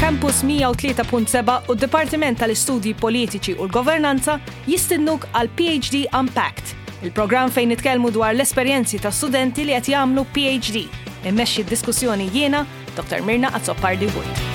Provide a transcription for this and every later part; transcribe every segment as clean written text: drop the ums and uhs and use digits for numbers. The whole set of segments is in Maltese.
Campus 103.7 u d-Dipartiment tal-Istudji Politiċi u l-Governanza jistidnuk għal PhD Unpacked, il-programm fejn nitkellmu dwar l-esperjenzi ta' studenti li qed jagħmlu PhD. Immexxi d-diskussjoni jiena, Dr. Mirna Azzopardi Wood.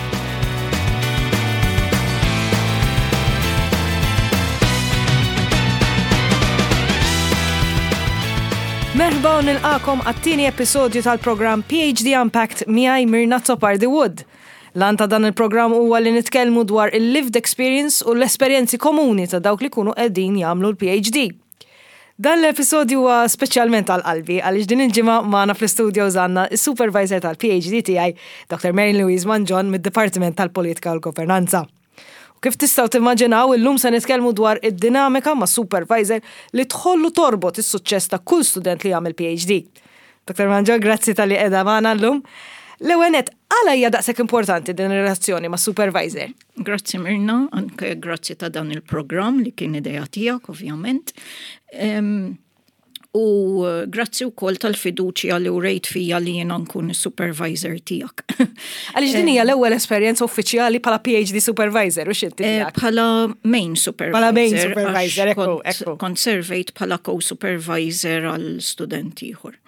Merħba u nilqakom għat-tieni episodju tal-programm PhD Unpacked miegħi Mirna Azzopardi Wood. L-għan ta' dan il-programm huwa li nitkellmu dwar il-lived experience u l-esperjenzi komuni ta' dawk li kunu qegħdin jagħmlu l-PhD. Dan l-episodju huwa speċjalment għal qalbi għaliex din il-ġimgħa magħna fl-istudios għandna s-supervisor tal-PhD tiegħi, Dr. Mary Louise Mangion mid-Dipartiment tal-Politika u l-Governanza. U kif tistgħu timmaġinaw illum se nitkellmu dwar id-dinamika ma' supervisor li tħoll u torbot is-suċċess ta' kull student li jagħmel PhD. Dr. Mangion, grazzi talli qiegħda magħna llum. L-ewwel nett, għala hija daqshekk importanti din ir-relazzjoni ma' supervisor? Grazzi Mirna, anke grazzi ta' dan il-programm li kien idea tiegħek ovvjament. U eh, grazzi wkoll tal-fiduċja li urejt fija li jiena nkun is-supervisor tiegħek. Għaliex din hija l-ewwel esperjenza uffiċjali bħala PhD supervisor u x'inti eh, Bħala main supervisor. Bħala main supervisor, ekku, ekku. Kont servejt bħala co-supervisor għal student ieħor.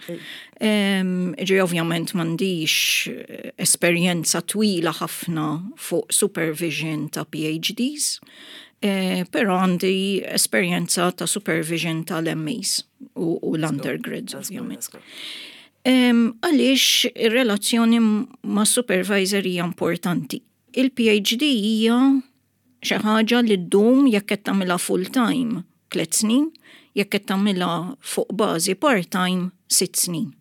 Ġi ovvjament m'għandix eh, esperjenza twila ħafna fuq supervision ta' PhDs, eh, però għandi esperjenza ta' supervision tal-MAs u, u l-undergrads ovvjament. Għaliex ir-relazzjoni ma' supervisor hija importanti. Il-PhD hija Xi ħaġa li ddum jekk qed tagħmilha full time tliet snin, jekk qed tagħmilha fuq bażi part time sitt snin.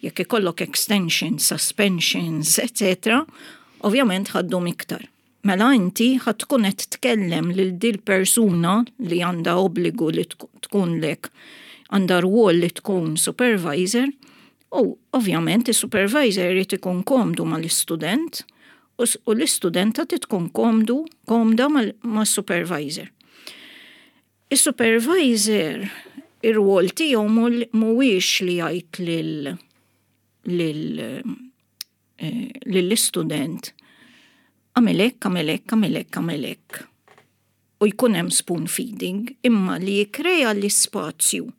Jekk ikollok extensions, suspensions, etc., ovvjament ħa ddum iktar. Mela inti ħa tkun qed tkellem lil dil persuna li għandha obbligu li tkunlek għandha rwol li tkun supervisor u ovvjament is-supervisor irid ikun komdu mal-istudent u l-istudenta trid tkun komdu, komda mas-supervisor. Is-supervisor ir-rwol tiegħu mhuwiex li jgħid lil lil eh, lill-istudent għamel hekk, għamel hekk, għamel hekk, għamel hekk. U jkun hemm spoon feeding, imma li jikkrea l-ispazju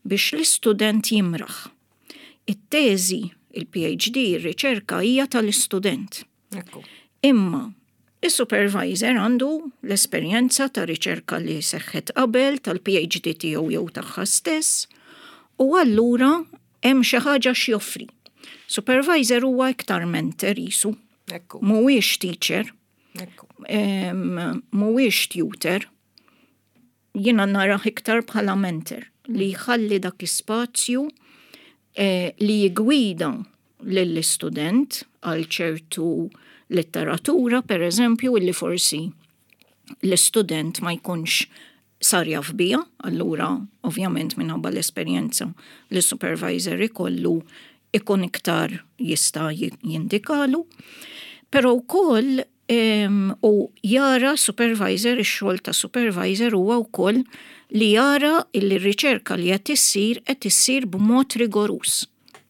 biex l-istudent jimraħ. It-teżi, il-PhD, ir-riċerka hija tal-istudent. Imma is-supervisor għandu l-esperjenza ta' riċerka li seħħet qabel tal-PhD tiegħu jew tagħha stess u allura hemm xi ħaġa x'joffri. Supervisor huwa iktar mentor jisu. Mhuwiex teacher. Mhuwiex tutor. Jiena narah iktar bħala mentor li jħalli dak ispazju eh, li jigwida lill-istudent għal ċertu letteratura, per eżempju, illi forsi l-istudent ma jkunx sar jaf bija, allura ovvjament minħabba l-esperjenza li supervisor ikollu ikun iktar jista' jindikalu. Però wkoll u jara supervisor, ix-xogħol ta' supervisor huwa wkoll li jara li r-riċerka li qed issir qed issir b'mod rigoruż.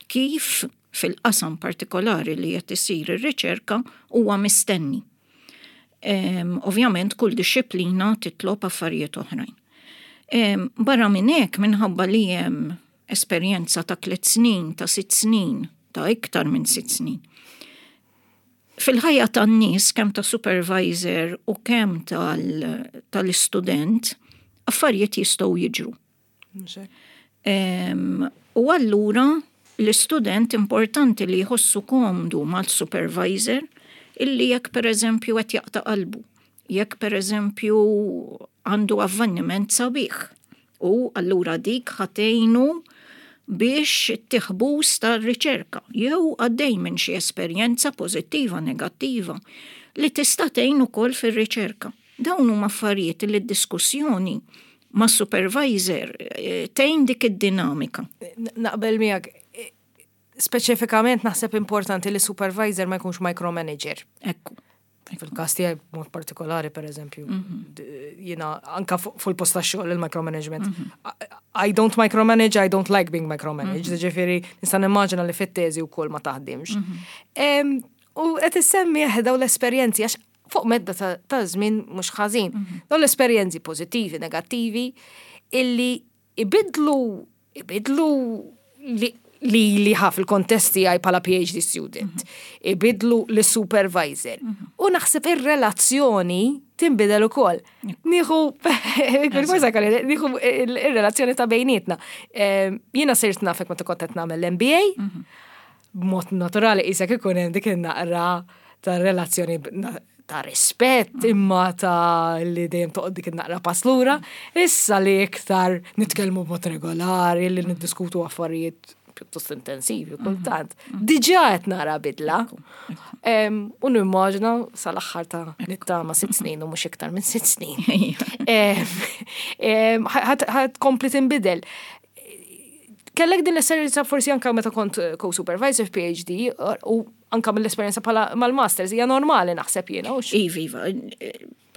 Kif fil-qasam partikolari li qed issir ir-riċerka huwa mistenni. Ovvjament kull dixxiplina titlob affarijiet oħrajn. Barra minn hekk minħabba li hemm esperjenza ta' tliet snin, ta' sitt snin, ta' iktar minn sitt snin. Fil-ħajja tan-nies kemm ta' supervisor u kemm tal-istudent, affarijiet jistgħu jiġru. U allura l-istudent importanti li jħossu komdu mal-supervisor illi jekk pereżempju qed jaqta' qalbu, jekk pereżempju għandu avveniment sabiħ u allura dik ħa tgħinu biex ittih boost għar-riċerka jew għaddej minn xi esperjenza pożittiva, negattiva li tista' tgħin ukoll fir-riċerka. Dawn huma affarijiet li d-diskussjoni ma' supervisor eh, tgħin dik id-dinamika. Naqbel miegħek speċifikament naħseb importanti li supervisor ma jkunx micromanager. Ekku. Fil-kas tiegħi b'mod partikolari, per eżempju, mhm. jiena anka fuq il-post tax-xogħol il-micromanagement. Mhm. I don't micromanage, I don't like being micromanaged. Mhm. Ġifieri nista' nimmaġina li fit-teżi wkoll ma taħdimx. U qed issemmi dawn l-esperjenzi għax fuq medda ta' żmien mhux ħażin. Dawn l-esperjenzi pożittivi, negattivi, illi ibidlu li ħaf il-kontest tiegħi bħala PhD student, ibidlu l-supervisor. U naħseb ir-relazzjoni tinbidel ukoll. Nieħu nieħu ir-relazzjoni ta' bejnietna. Jiena sirt nafek meta kont qed nagħmel l-MBA, b'mod naturali qisek ikun hemm dik in-naqra ta' relazzjoni ta' rispett imma ta' li dejjem toqgħod dik in-naqra pass lura. Issa li iktar nitkellmu b'mod regolari, li niddiskutu affarijiet pjuttost intensivi kultant. Diġà qed nara bidla. U nimmaġina sal-aħħar ta' nittama 6 snin u mhux iktar minn 6 snin. Ħa tkompli tinbidel. Kellek din l-esperjenza forsi anka meta kont co-supervisor PhD u anka mill-esperjenza bħala mal-masters hija normali, naħseb jiena. Iva, iva.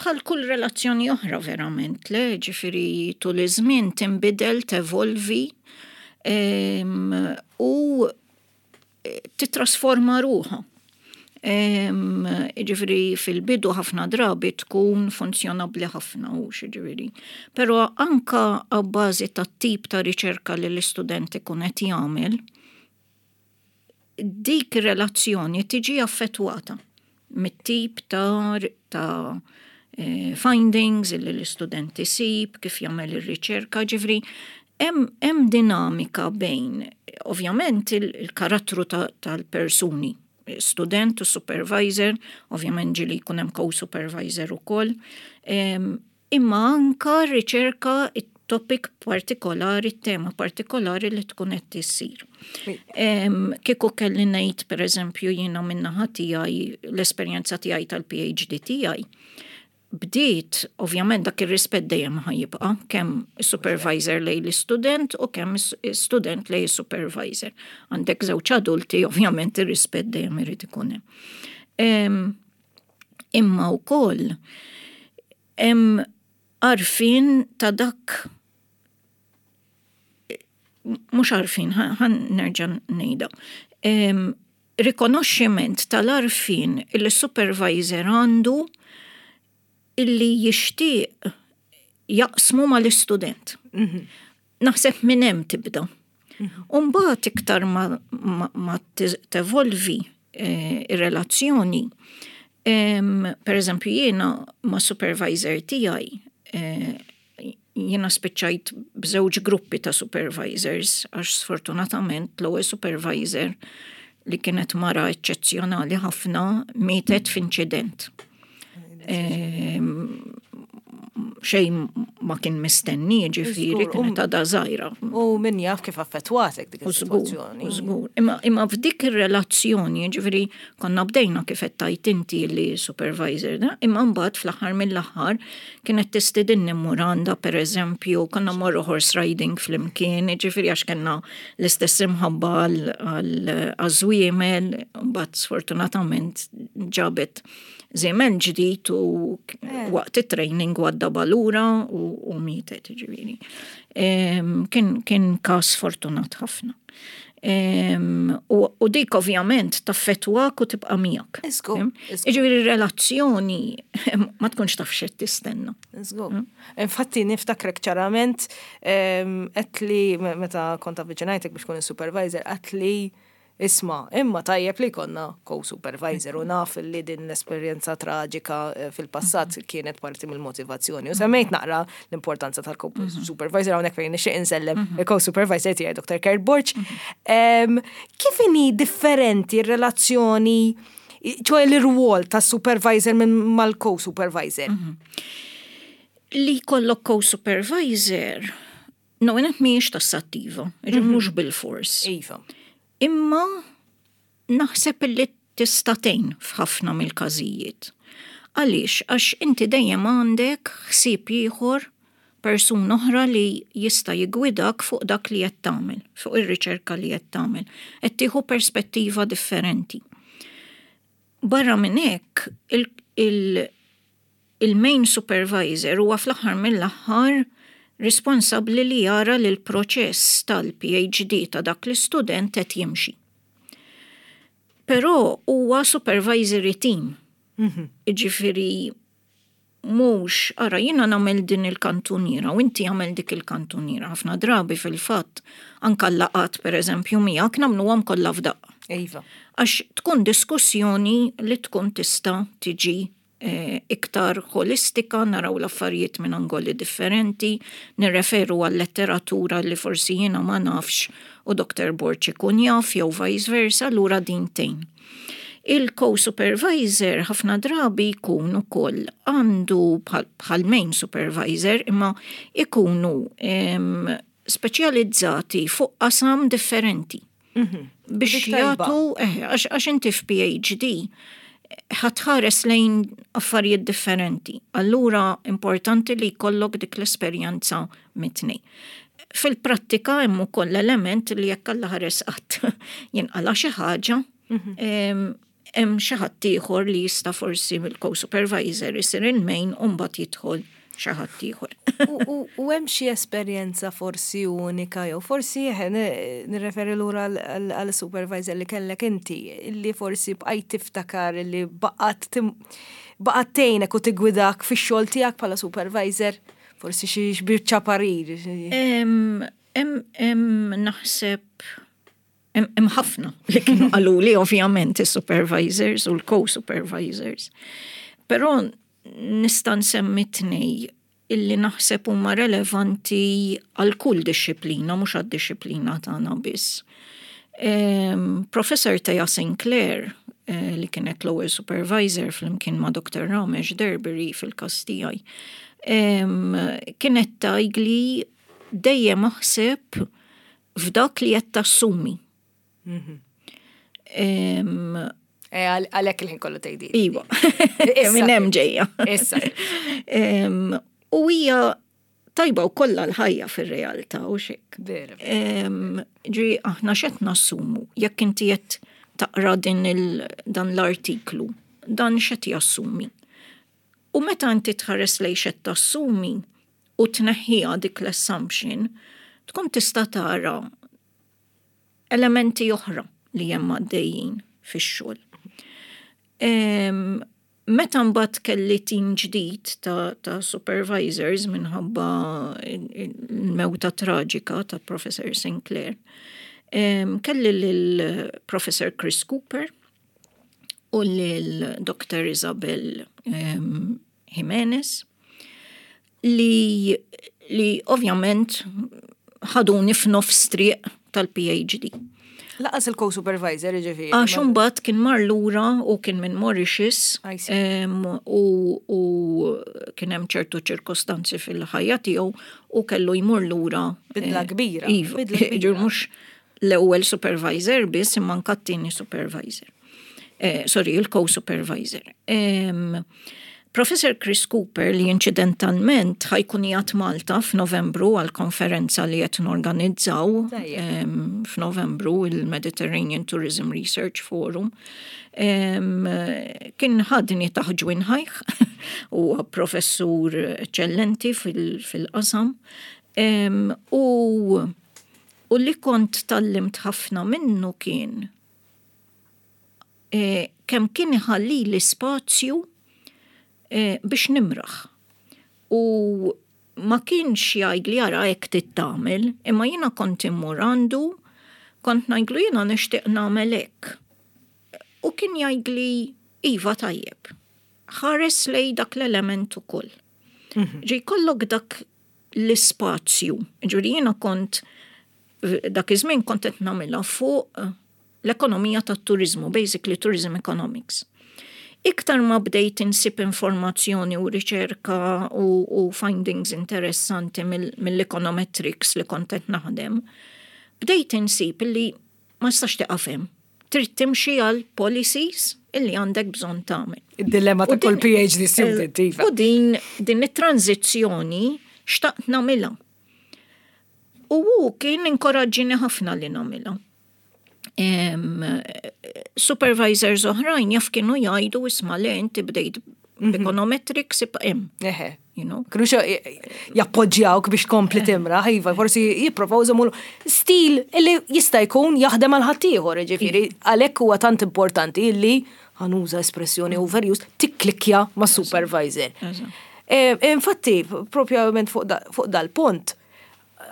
Bħal kull relazzjoni oħra verament, le, ġifieri tul iż-żmien tinbidel, tevolvi u titrasforma ruħha. Ġifieri fil-bidu ħafna drabi tkun funzjonabbli ħafna u ġifieri. Però anka għabbażi ta' tip ta' riċerka li l-istudent ikun qed jagħmel, dik relazzjoni tiġi affettwata mit-tip ta' findings li l-istudent isib, kif jagħmel ir-riċerka, ġifieri hemm dinamika bejn ovvjament il-karattru tal-persuni, student u supervisor, ovvjament ġieli jkun hemm co-supervisor ukoll, imma anka riċerka, topic partikolari, tema partikolari li tkun qed tissir. Kieku kelli ngħid, pereżempju, jiena min-naħa tiegħi, l-esperjenza tiegħi tal-PhD tiegħi, bdiet, ovvjament dak ir-rispett dejjem ħa jibqa', kemm supervisor lejn l-istudent u kemm student lejn supervisor. Għandek żewġ adulti, ovvjament ir-rispett dejjem irid ikun hemm. Imma wkoll hemm għarfien ta' dak, mhux għarfien, ħa nerġa' ngħidha. Rikonoxximent tal-għarfien il-supervisor għandu illi jixtieq jaqsmu mal-istudent. Naħseb minn hemm tibda. Umbagħad iktar ma tevolvi ir-relazzjoni, per eżempju jiena ma' supervisor tiegħi, jiena spiċċajt b'żewġ gruppi ta' supervisors għax sfortunatament l-ewwel supervisor, li kienet mara eċċezzjonali ħafna, mietet f'inċident. Xejn ma kien mistenni, ġifieri kienet għadha żgħira. U min jaf kif affettwatek dik is-sitwazzjoni. Żgur. Imma f'dik ir-relazzjoni, ġifieri konna bdejna kif qed tgħid inti li supervisor, da, imma mbagħad fl-aħħar mill-aħħar kienet tistidinni mmur għandha, pereżempju, konna morru horse riding flimkien, ġifieri għax kellna l-istess imħabba għaż-żwiemel, mbagħad sfortunatament ġabet żiemel ġdid u waqt it-training għadda lura u mietet, ġifieri. Kien kas fortunat ħafna. U dik ovvjament taffettwak u tibqa' miegħek. Ġifieri relazzjoni ma tkunx taf x'qed tistenna. Infatti niftakrek ċarament għedtli meta kont avviċinajtek biex tkun il-supervisor, għedtli, "Isma', imma tajjeb li konna co-supervisor u naf li din l-esperjenza traġika fil-passat kienet parti mill-motivazzjoni." U semmejt naqra l-importanza tal-co-supervisor hawnhekk fejn nixtieq insellem il-co-supervisor tiegħi, Dr. Kurt Borch. Kif inhi differenti r-relazzjoni, ċoè l-irwol ta' supervisor minn mal-co-supervisor? Li jkollok co-supervisor, no, jenet mhijiex tassattiva, mhux bil-fors. Imma naħseb li tista' tgħin f'ħafna mill-każijiet. Għaliex? Għax inti dejjem għandek ħsieb ieħor, persuna oħra li jista' jigwidak fuq dak li qed tagħmel, fuq ir-riċerka li qed tagħmel. Qed tieħu perspettiva differenti. Barra minn hekk, il-main supervisor huwa fl-aħħar mill-aħħar responsabbli li jara li l-proċess tal-PhD ta' dak l-istudent qed jimxi. Però huwa supervisory team. Jiġifieri mhux, ara jiena nagħmel din il-kantuniera u inti għamel dik il-kantuniera. Ħafna drabi fil-fatt anka l-laqgħat pereżempju miegħek nagħmluhom kollha f'daqqa. Iva. Għax tkun diskussjoni li tkun tista' tiġi eh, iktar holistika, naraw l-affarijiet minn angoli differenti, nirreferu għal letteratura li forsi jiena ma nafx u Dr. Borg ikun jaf jew vice versa, allura din tgħin. Il-co-supervisor ħafna drabi jkun ukoll għandu bħal main supervisor imma ikunu speċjalizzati fuq qasam differenti. Biex jagħtu, eh, għax inti f'PhD ħatħares lejn affarijiet differenti. Allura importanti li jkollok dik l-esperjenza mitni. Fil-prattika hemm ukoll element li jekk Alla ħares qatt jinqala xi ħaġa, mhm. hemm xi ħadd ieħor li jista' forsi mill-co-supervisor isir il-main u mbagħad jidħol xi ħadd ieħor. U hemm xi esperjenza forsi unika jew forsi nirreferi lura għal supervisor li kellek inti li forsi bqajt tiftakar li baqgħet baqgħet tgħinek u tigwidak fix-xogħol tiegħek bħala supervisor? Forsi xi biċċa parir. Hemm naħseb hemm ħafna li kienu qaluli ovvjament is-supervisors u l-co-supervisors. Però nista' nsemmi tnej illi naħseb huma relevanti għal kull dixxiplina, mhux għad-dixxiplina tagħna biss. Professor Thea Sinclair, eh, li kienet l-ewwel supervisor flimkien ma' Dr. Ramesh Derbury fil-każ tiegħi, kienet tgħidli dejjem aħseb f'dak li qed tassumi. Mhm. Eh, għalhekk il-ħin kollu tgħidi. Iva. Minn hemm ġejja. Issa. U hija tajba u kollha l-ħajja fir-realtà u xek. Ġi aħna x'qed nassumu jekk inti qed taqra din dan l-artiklu, dan x'qed jassumi. U meta inti tħares lejn x'qed tassumi u tneħħiha dik l-assumption, tkun tista' tara elementi oħra li hemm għaddejjin fix-xogħol. Meta mbagħad kelli tim ġdid ta', ta supervisors minħabba l-mewta traġika ta' Professor Sinclair, kelli lil Professor Chris Cooper u lil Dr. Isabel Jimenez li, li ovvjament ħaduni f'nofs triq tal-PhD. Laqas il-co-supervisor ġifieri. Għax imbagħad kien mar lura u kien minn Mauritius u, u kien hemm ċertu ċirkostanzi fil-ħajja tiegħu u kellu jmur lura. Bidla eh, kbira. Iva, mhux l-ewwel supervisor biss imma anke t-tieni supervisor. Eh, sorry, il-co-supervisor. Professor Chris Cooper li inċidentalment ħajkun jgħat Malta f'Novembru għal konferenza li qed norganizzaw f'Novembru il-Mediterranean Tourism Research Forum. Kien ħadni taħt ġwinħajh u professur eċċellenti fil-qasam. U U li kont tgħallimt ħafna minnu kien eh, kemm kien iħallili spazju eh, biex nimraħ. U ma kienx jgħidli ara hekk trid tagħmel, imma jiena kont immur għandu, kont ngħidlu jiena nixtieq nagħmel hekk. U kien jgħidli iva tajjeb. Ħares lej dak l-element ukoll. Mhm. Ġi jkollok dak l-ispazju. Ġifieri jiena kont dak iż-żmien kont qed nagħmilha fuq l-ekonomija tat-turiżmu, basically tourism economics. Iktar ma bdejt insib informazzjoni u riċerka u, u findings interessanti mill-econometrics li kont qed naħdem, bdejt insib li ma nistax tieqaf hemm. Trid timxi għal policies illi għandek bżonn tagħmel. Id-dilemma ta' kull PhD student, iva. U din din it-tranzizzjoni xtaqt nagħmilha. U hu kien inkoraġġini ħafna li nagħmilha. Supervisors oħrajn jaf kienu jgħidu isma' le inti bdejt Econometrics ibqa' hemm. Eħe. You know? Kienu jappoġġjawk biex tkompli timraħ, iva, forsi jipprovaw iżommu stil illi jista' jkun jaħdem għal ħaddieħor, ġifieri, għalhekk huwa tant importanti illi ħa nuża espressjoni overused, tikklikkja ma' supervisor. Infatti, propjament fuq dal-punt,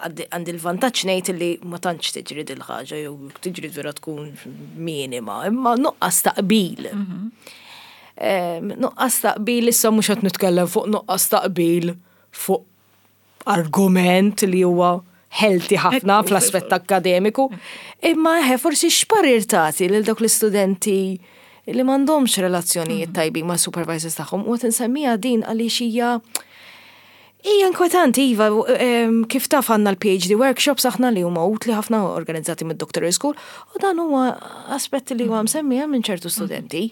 għandi l-vantaġġ ngħid li ma tantx tiġri dil-ħaġa jew tiġri vera tkun minima, imma nuqqas ta' qbil. Nuqqas ta' qbil issa mhux qed nitkellem fuq nuqqas ta' qbil fuq argument li huwa healthy ħafna fl-aspett akademiku, imma eħe forsi x'parir tagħti lil dawk l-istudenti li m'għandhomx relazzjonijiet tajbin ma' supervisors tagħhom u qed insemmija din għaliex hija inkwetanti, iva, kif taf għandna l-PhD workshops aħna li huma utli ħafna organizzati mid-Doctoral School, u dan huwa aspetti li huwa msemmija minn ċertu studenti.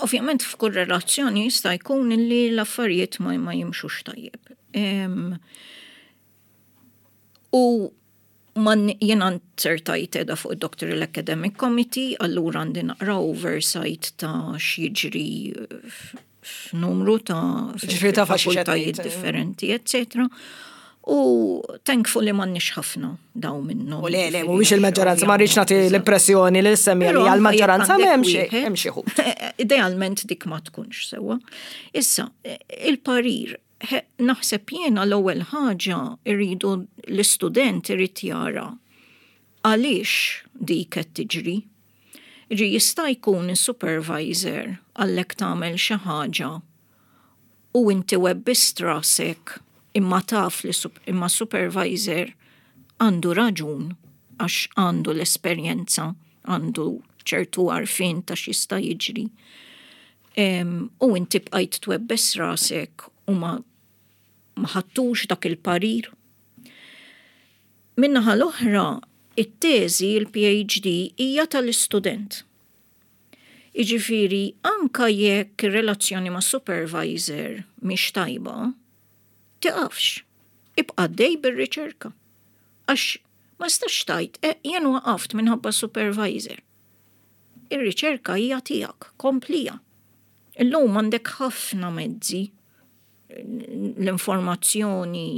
Ovvjament f'kull relazzjoni jista' jkun li l-affarijiet ma jimxux tajjeb. U man jiena nzertajt edha fuq id-Doctoral Academic Committee, allura għandi naqra oversight ta' x'jiġri f'numru ta' Ġifieri taf għax fakultajiet differenti, eccetera. U thankfully m'għandniex ħafna daw minnhom. U le, le, mhuwiex il-maġġoranza, ma rridx nagħti l-impressjoni li semmi li għall-maġġoranza m'hemm xi hemm xi ħut. Idealment dik ma tkunx sewwa. Issa, il-parir, naħseb jiena l-ewwel ħaġa irridu l-istudent irid jara għaliex dik qed tiġri. Ġi jista' jkun is-supervisor għallek tagħmel xi ħaġa u inti webbist rasek imma taf li imma supervisor għandu raġun għax għandu l-esperjenza, għandu ċertu għarfien ta' x'jista' jiġri. U inti bqajt twebbes rasek u ma ħadtux dak il-parir. Min-naħa l-oħra, it-teżi, il-PhD, hija tal-istudent. Iġifieri, anka jekk ir-relazzjoni ma' supervisor mhix tajba, tiqafx. Ibqa' dej bir-riċerka. Għax ma tistax tgħid, jien waqaft minħabba supervisor. Ir-riċerka hija tiegħek, komplija. Illum għandek ħafna mezzi l-informazzjoni,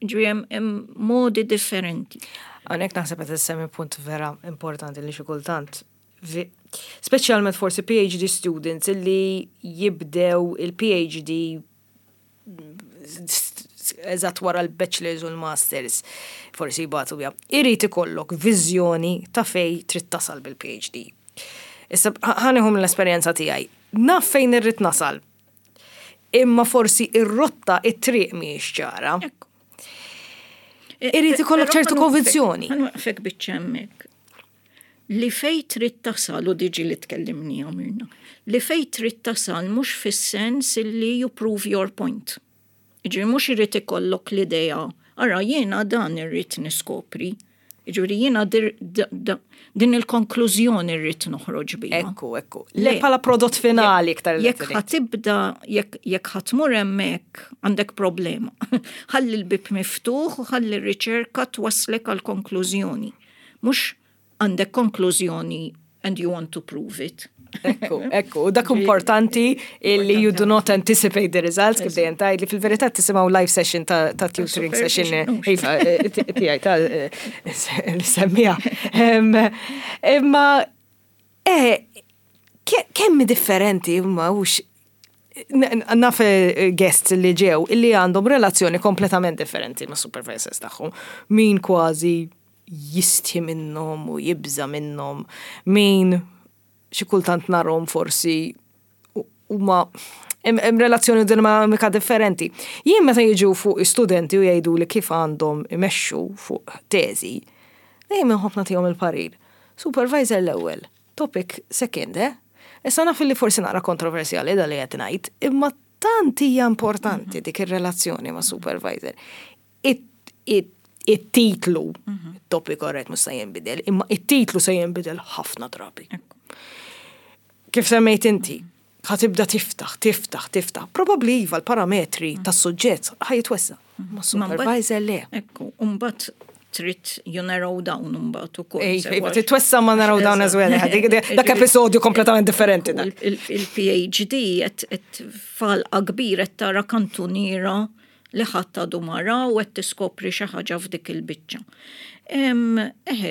ġifieri hemm modi differenti. Hawnhekk naħseb qed issemmi punt vera importanti li xi kultant speċjalment forsi PhD students illi jibdew il-PhD eżatt wara l-bachelors u l-masters, forsi jibatu bija. Irid ikollok viżjoni ta' fej trid tasal bil-PhD. Issa ħa nieħu mill-esperjenza tiegħi. Naf fejn irrid nasal. Imma forsi ir-rotta it-triq mhijiex ċara. Irid ikollok ċertu konvinzjoni. Ħa nwaqqfek biċċa hemmhekk. Li fej trid tasal, u diġi li tkellimni għamilna, li fej trid tasal mhux fis-sens li you prove your point. Ġifieri mhux irid ikollok l-idea, ara jiena dan irrid niskopri. Ġifieri jiena din il-konklużjoni rrid noħroġ biha. Ekku. Le bħala prodott finali iktar. Jekk ħa tibda, jekk ħa tmur hemmhekk għandek problema. Ħalli l-bib miftuħ u ħalli r-riċerka twaslek għal konklużjoni. Mhux għandek konklużjoni and you want to prove it. Ekku, u dak importanti illi you do not anticipate the results, kif dejjem tgħid li fil-verità tisimgħu live session ta' tutoring session, iva, tiegħi ta' li semmija. Imma kemm differenti imma hux naf guests li ġew illi għandhom relazzjoni kompletament differenti ma' supervisors tagħhom. Min kważi jistħi minnhom u jibża minnhom, min xi kultant narhom forsi huma hemm relazzjoni dinamika differenti. Jien meta jiġu fuq studenti u jgħidu li kif għandhom imexxu fuq teżi, dejjem inħobb nagħtihom il-parir. Supervisor l-ewwel, topic second, eh? Issa naf li forsi naqra kontroversjali da li qed ngħid, imma tant hija importanti dik ir-relazzjoni ma' supervisor. It-titlu, it-topic alright mhux se jinbidel, imma it-titlu se jinbidel ħafna drabi. Kif semmejt inti, ħa tibda tiftaħ, tiftaħ, tiftaħ. Probabbli iva l-parametri tas-suġġett ħa jitwessa. Ma supervisor le. Ekku, mbagħad trid you narrow down imbagħad ukoll. Ej, twessa ma narrow down as well. Dak episodju kompletament differenti. Il-PhD qed falqa kbir qed tara kantuniera li ħadd għadu ma ra u qed tiskopri xi ħaġa f'dik il-biċċa. Eħe,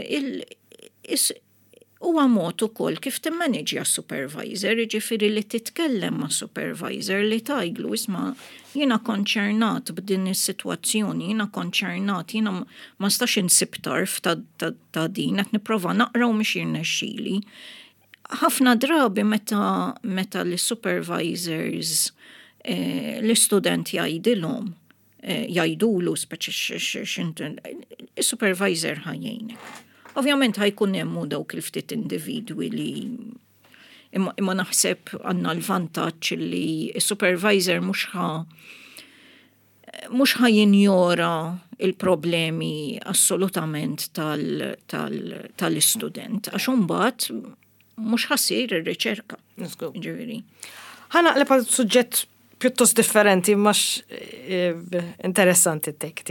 huwa mod ukoll kif timmaniġja supervisor, jiġifieri li titkellem ma' supervisor li tgħidlu isma' jiena konċernat b'din is-sitwazzjoni, jiena konċernat, jiena ma nistax insib tarf ta', ta, ta din, qed nipprova naqra u mhux jirnexxili. Ħafna drabi meta, meta l-supervisors eh, l-istudent jgħidilhom eh, jgħidulu speċi x'intu is-supervisor ħa jgħinek. Ovvjament ħa jkun hemm dawk il-ftit individwi li imma, imma naħseb għandna l-vantaġġ li s-supervisor mhux ħa mhux ħa jinjora il-problemi assolutament tal-istudent, għax imbagħad mhux ħa ssir ir-riċerka. Ġifieri. Ħa naqleb għal suġġett pjuttost differenti, mhux interessanti t-take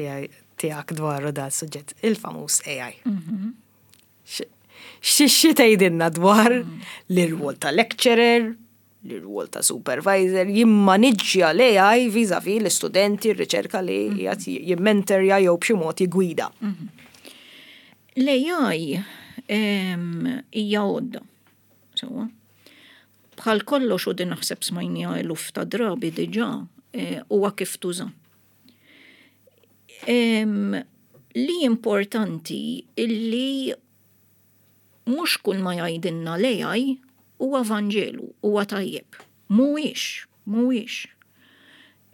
tiegħek dwaru da suġġett, il-famuż AI. Xi tgħidilna dwar l-irwol ta' lecturer, l-irwol ta' supervisor, jimmaniġġja l-AI vis-a-vis l-istudenti, r-riċerka li qiegħed jimmentorja jew b'xi mod jigwida. L-AI hija għodda. Sewwa. Bħal kollox u din naħseb smajniha eluf ta' drabi diġà, huwa kif tuża. Li importanti illi mhux kull ma jgħidilna l-AI huwa Vanġelu, huwa tajjeb. Mhuwiex, mhuwiex.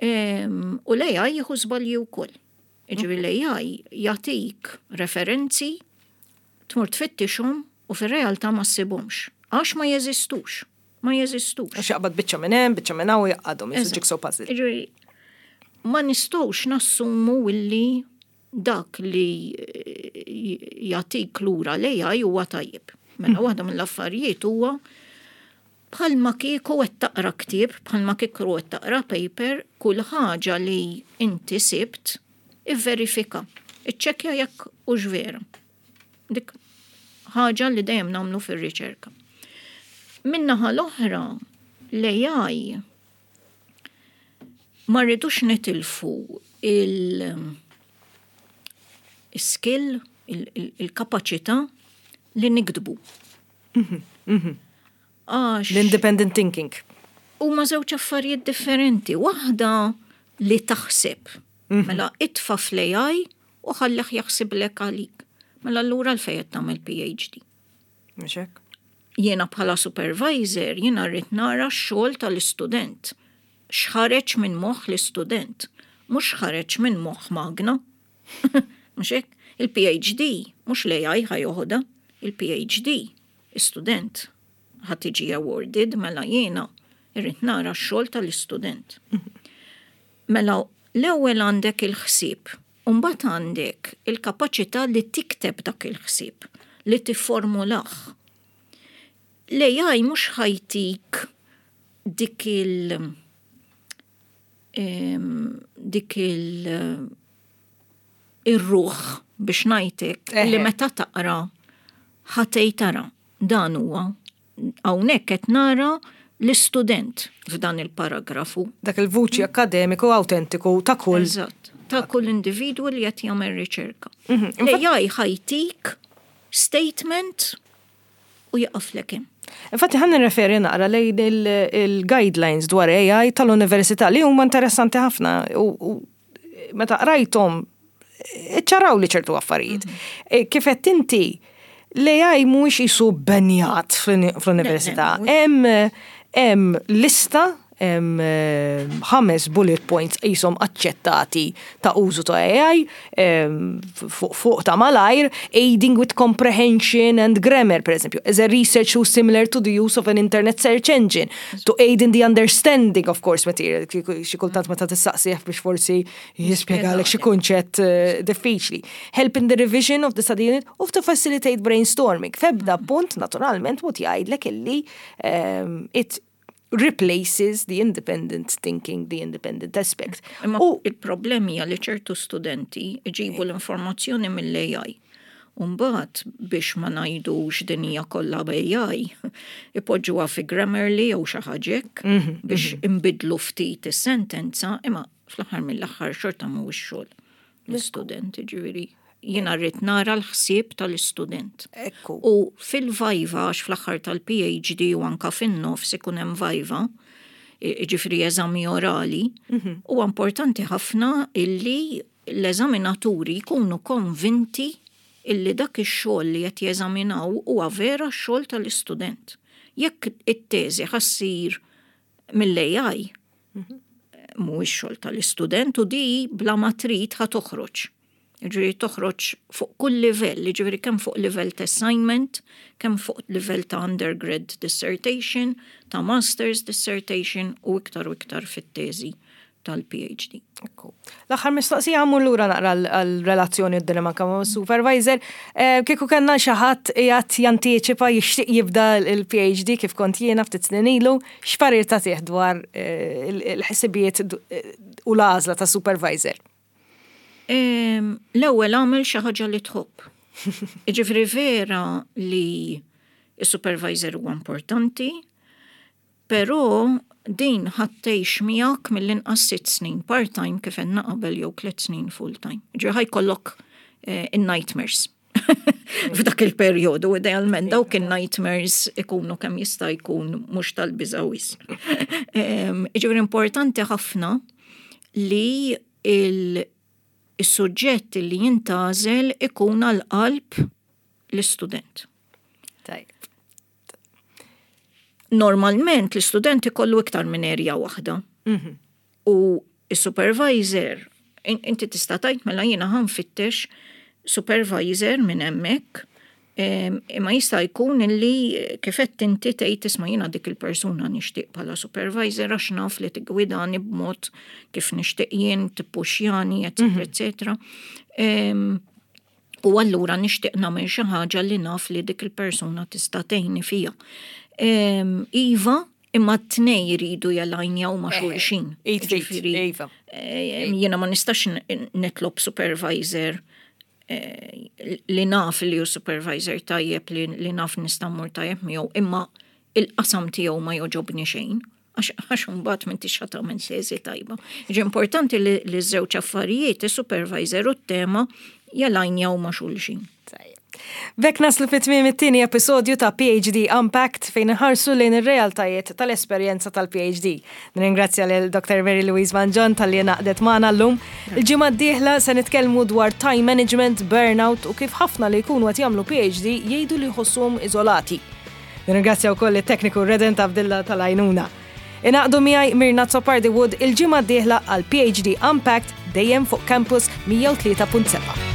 U l-AI jieħu żbalji wkoll. Jiġifieri l-AI jagħtik referenzi, tmur tfittixhom u fir-realtà ma ssibhomx. Għax ma jeżistux. Ma jeżistux. Għax jaqbad biċċa minn hemm, biċċa minn hawn u jgħaqqadhom, jisu jigsaw puzzle. Jiġifieri, ma nistgħux nassumu illi dak li jagħtik lura l-AI huwa tajjeb. Mela waħda mill-affarijiet huwa bħalma kieku qed taqra ktieb, bħalma kieku qed taqra paper, kull ħaġa li inti sibt ivverifika. Iċċekkja jekk hux vera. Dik ħaġa li dejjem nagħmlu fir-riċerka. Min-naħa l-oħra, l-AI ma rridux nitilfu il-skill, il-kapaċità li niktbu. Għax L-independent thinking. huma żewġ affarijiet differenti. Waħda li taħseb. Mela itfa' fl-AI u ħallih jaħsiblek għalik. Mela allura għalfejn qed tagħmel PhD. Mhux hekk? Jiena bħala supervisor, jiena rrid nara x-xogħol tal-istudent. X'ħareġ minn moħħ l-istudent, mhux x'ħareġ minn moħħ magna. Mhux hekk? Il-PhD mhux l-AI ħa joħodha, il-PhD istudent ħa tiġi awarded mela jiena irrid nara x-xogħol tal-istudent. Mela l-ewwel għandek il-ħsieb, u mbagħad għandek il-kapaċità li tikteb dak il-ħsieb, li tifformulah. L-AI mhux ħa jtik dik il dik il ir-ruħ biex ngħidlek li meta taqra ħa tgħid tara dan huwa hawnhekk qed nara l-istudent f'dan il-paragrafu. Dak il-vuċi akademiku autentiku ta' kull. Eżatt, ta' kull individwu li qed jagħmel riċerka. L-AI ħa jtik statement u jaqaflek hemm. Infatti ħa nirreferi naqra lejn il-guidelines dwar AI tal-università li huma interessanti ħafna u meta qrajthom ċaraw li ċertu affarijiet. Kif qed inti l-AI mhuwiex jisu bannjat fl-università. Hemm lista, hemm ħames bullet points jisom aċċettati ta' użu ta' AI fuq ta' malajr, aiding with comprehension and grammar, per esempio, as a research tool similar to the use of an internet search engine, to aid in the understanding of course material, xi kultant meta tistaqsih biex forsi jispjegalek xi kunċett diffiċli. Help in the revision of the study unit of to facilitate brainstorming. F'ebda punt, naturalment, mhu jgħidlek illi it. replaces the independent thinking, the independent aspect. Imma il-problemi hija li ċertu studenti jġibu l-informazzjoni mill-AI. Umbagħad biex ma ngħidux din hija kollha b'AI, ipoġġuha fi Grammarly jew xi ħaġa hekk biex inbiddlu ftit is-sentenza, imma fl-aħħar mill-aħħar xorta mhuwiex xogħol l-istudent, ġifieri jiena rrid nara l-ħsieb tal-istudent. Ekku. U fil-viva, għax fl-aħħar tal-PhD u anka fin-nofs ikun hemm viva, ġifieri eżami orali, huwa importanti ħafna illi l-eżaminaturi jkunu konvinti illi dak ix-xogħol li qed jeżaminaw huwa vera x-xogħol tal-istudent. Jekk it-teżi ħa ssir mill-AI, mhuwiex xogħol tal-istudent u di bla ma trid ħa toħroġ. Ġifieri toħroġ fuq kull livell, ġifieri kemm fuq livell ta' assignment, kemm fuq livell ta' undergrad dissertation, ta' master's dissertation u iktar u iktar fit-teżi tal-PhD. Ekku. L-aħħar mistoqsija mmur lura naqra għal-relazzjoni u d-dinamika ma' supervisor. Kieku kellna xi ħadd qiegħed jantiċipa jixtieq jibda l-PhD kif kont jiena ftit snin ilu, x'parir tagħtih dwar il-ħsibijiet u l-għażla ta' supervisor? L-ewwel għamel xi ħaġa li tħobb. Jiġifieri vera li s-supervisor huwa importanti, però din ħa tgħix miegħek mill-inqas 6 snin part-time kif għedna qabel jew 3 snin full-time. Ġifieri ħa jkollok in-nightmares f'dak il-perjodu, idealment dawk in-nightmares ikunu kemm jista' jkun mhux tal-biża' wisq. Ġifieri importanti ħafna li il-suġġett li jintgħażel ikun għal-qalb l-istudent. Tajjeb. Normalment l-istudent ikollu iktar minn area waħda. U il-supervisor, inti tista' tgħid mela jiena ħa nfittex supervisor minn hemmhekk, imma jista' jkun illi kif qed inti tgħid isma' jiena dik il-persuna nixtieq bħala supervisor għax naf li tigwidani b'mod kif nixtieq jien, tippuxjani, eccetera, eccetera. U allura nixtieq nagħmel xi ħaġa li naf li dik il-persuna tista' tgħinni fiha. Iva, imma t-tnej jridu jalajnjaw ma' xulxin. Id f'id, Ġifieri, Iva. Jiena ma nistax nitlob supervisor li naf li hu supervisor tajjeb li naf nista' mmur tajjeb miegħu, imma il-qasam tiegħu ma jogħġobni xejn. Għax mbagħad m'intix ħa tagħmel teżi tajba. Ġi importanti li żewġ affarijiet, is-supervisor u t-tema jalajnjaw ma' xulxin. Tajjeb. B'hekk naslu fi tmiem it-tieni episodju ta' PhD Unpacked fejn nħarsu lejn ir-realtajiet tal-esperjenza tal-PhD. Nirringrazzja lil Dr. Mary Louise Mangion talli ngħaqdet magħna llum. Il-ġimgħa d-dieħla se nitkellmu dwar time management, burnout u kif ħafna li jkunu qed jagħmlu PhD jgħidu li jħossuhom iżolati. Nirringrazzja wkoll it-tekniku Redent Abdilla tal-għajnuna. Ingħaqdu miegħi Mirna Azzopardi Wood il-ġimgħa d-dieħla għal PhD Unpacked dejjem fuq Campus 103.7.